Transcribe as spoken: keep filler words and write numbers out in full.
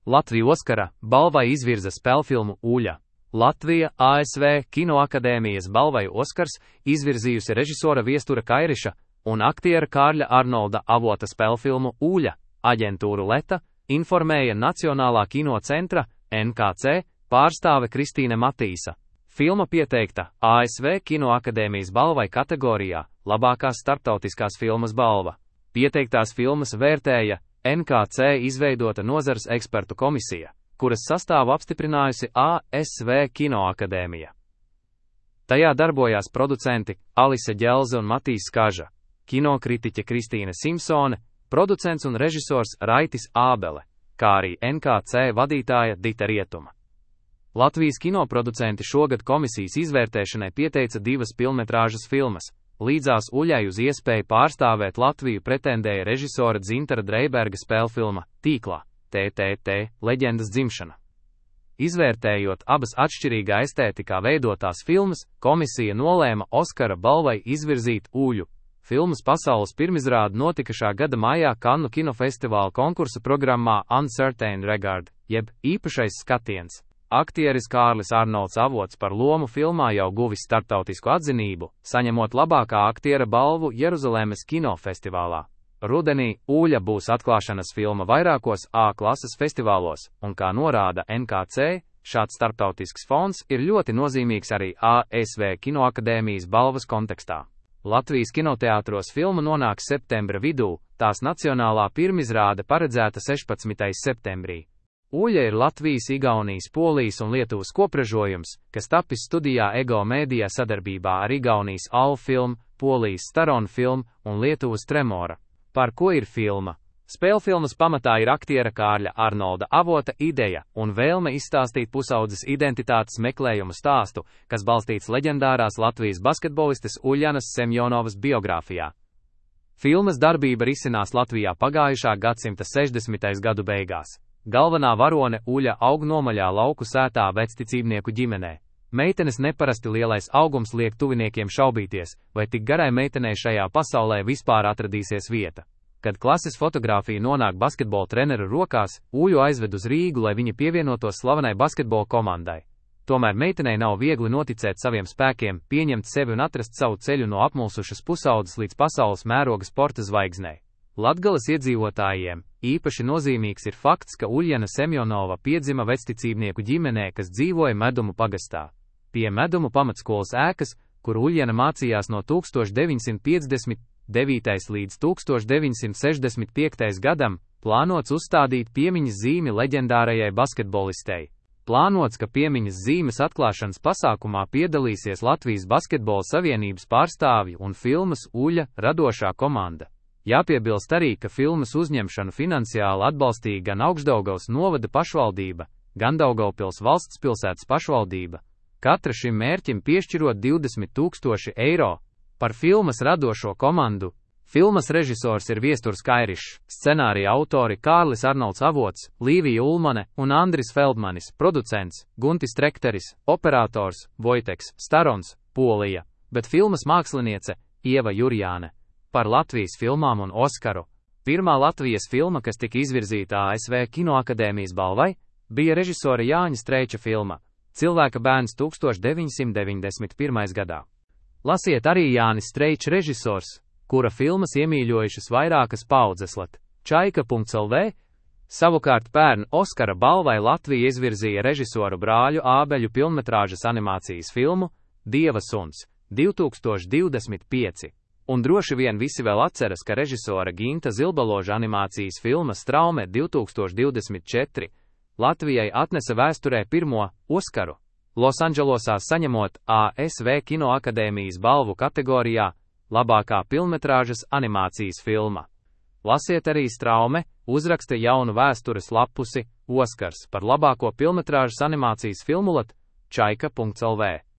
Latvija Oskara balvai izvirza spēlfilmu Uļa. Latvija A S V Kinoakadēmijas balvai Oskars izvirzījusi režisora Viestura Kairiša un aktiera Kārļa Arnolda Avota spēlfilmu Uļa. Aģentūru Leta informēja Nacionālā kino centra N K C pārstāve Kristīne Matīsa. Filma pieteikta A S V Kinoakadēmijas balvai kategorijā labākās starptautiskās filmas balva. Pieteiktās filmas vērtēja N K C izveidota nozares ekspertu komisija, kuras sastāvu apstiprinājusi A S V Kinoakadēmija. Tajā darbojās producenti Alise Ģelze un Matīs Kaža, kinokritiķe Kristīne Simpsone, producents un režisors Raitis Ābele, kā arī N K C vadītāja Dita Rietuma. Latvijas kinoproducenti šogad komisijas izvērtēšanai pieteica divas pilnmetrāžas filmas. Līdzās Uļai uz iespēju pārstāvēt Latviju pretendēja režisora Dzintara Dreiberga spēlfilma Tīklā, T T T, leģendas dzimšana. Izvērtējot abas atšķirīgā estētikā veidotās filmas, komisija nolēma Oskara balvai izvirzīt Uļu. Filmas pasaules pirmizrāde notika šā gada maijā Kannu kinofestivāla konkursa programmā Uncertain Regard, jeb īpašais skatiens. Aktieris Kārlis Arnolds Avots par lomu filmā jau guvis starptautisku atzinību, saņemot labākā aktiera balvu Jeruzalemes kinofestivālā. Rudenī Uļa būs atklāšanas filma vairākos A klases festivālos, un kā norāda N K C, šāds starptautisks fons ir ļoti nozīmīgs arī A S V Kinoakadēmijas balvas kontekstā. Latvijas kinoteātros filma nonāks septembra vidū, tās nacionālā pirmizrāde paredzēta sešpadsmitajā septembrī. Uļa ir Latvijas, Igaunijas, Polijas un Lietuvas kopražojums, kas tapis studijā Ego Media sadarbībā ar Igaunijas Alfa Film, Polijas Staron Film un Lietuvas Tremora. Par ko ir filma? Spēlfilmas pamatā ir aktiera Kārļa Arnolda Avota ideja un vēlme izstāstīt pusaudzes identitātes meklējumu stāstu, kas balstīts leģendārās Latvijas basketbolistes Uļanas Semjonovas biogrāfijā. Filmas darbība risinās Latvijā pagājušā gadsimta sešdesmitajā gadu beigās. Galvenā varone Uļa aug nomaļā lauku sētā vecticībnieku ģimenē. Meitenes neparasti lielais augums liek tuviniekiem šaubīties, vai tik garai meitenei šajā pasaulē vispār atradīsies vieta. Kad klases fotogrāfija nonāk basketbola treneru rokās, Uļu aizved uz Rīgu, lai viņa pievienotos slavenai basketbola komandai. Tomēr meitenei nav viegli noticēt saviem spēkiem, pieņemt sevi un atrast savu ceļu no apmulsušas pusaudzes līdz pasaules mēroga sporta zvaigznei. Latgales iedzīvotājiem īpaši nozīmīgs ir fakts, ka Uļjana Semjonova piedzima vecticībnieku ģimenē, kas dzīvoja Medumu pagastā. Pie Medumu pamatskolas ēkas, kur Uļjana mācījās no tūkstoš deviņsimt piecdesmit devītajā līdz tūkstoš deviņsimt sešdesmit piektajam gadam, plānots uzstādīt piemiņas zīmi leģendārajai basketbolistei. Plānots, ka piemiņas zīmes atklāšanas pasākumā piedalīsies Latvijas Basketbola Savienības pārstāvji un filmas Uļa radošā komanda. Jāpiebilst arī, ka filmas uzņemšanu finansiāli atbalstīja gan Augšdaugavas novada pašvaldība, gan Daugavpils valsts pilsētas pašvaldība, katra šim mērķim piešķirot divdesmit tūkstoši eiro. Par filmas radošo komandu. Filmas režisors ir Viesturs Kairišs, scenārija autori Kārlis Arnolds Avots, Līvija Ulmane un Andris Feldmanis, producents Guntis Trekteris, operators Vojteks Starons, Polija, bet filmas māksliniece Ieva Jurjāne. Par Latvijas filmām un Oskaru. Pirmā Latvijas filma, kas tika izvirzīta A S V Kinoakadēmijas balvai, bija režisora Jāņa Streiča filma Cilvēka bērns tūkstoš deviņsimt deviņdesmit pirmajā gadā. Lasiet arī Jānis Streičs režisors, kura filmas iemīļojušas vairākas paudzeslat. Čaika punkts L V. Savukārt pērn Oskara balvai Latvija izvirzīja režisoru brāļu Ābeļu pilnmetrāžas animācijas filmu Dieva suns divi tūkstoši divdesmit pieci. Un droši vien visi vēl atceras, ka režisora Ginta Zilbaloža animācijas filma Straume divi tūkstoši divdesmit četri Latvijai atnesa vēsturē pirmo Oskaru, Losandželosā saņemot A S V Kinoakadēmijas balvu kategorijā labākā pilnmetrāžas animācijas filma. Lasiet arī Straume, uzraksta jaunu vēstures lapusi Oskars par labāko pilnmetrāžas animācijas filmu lat čaika punkts L V.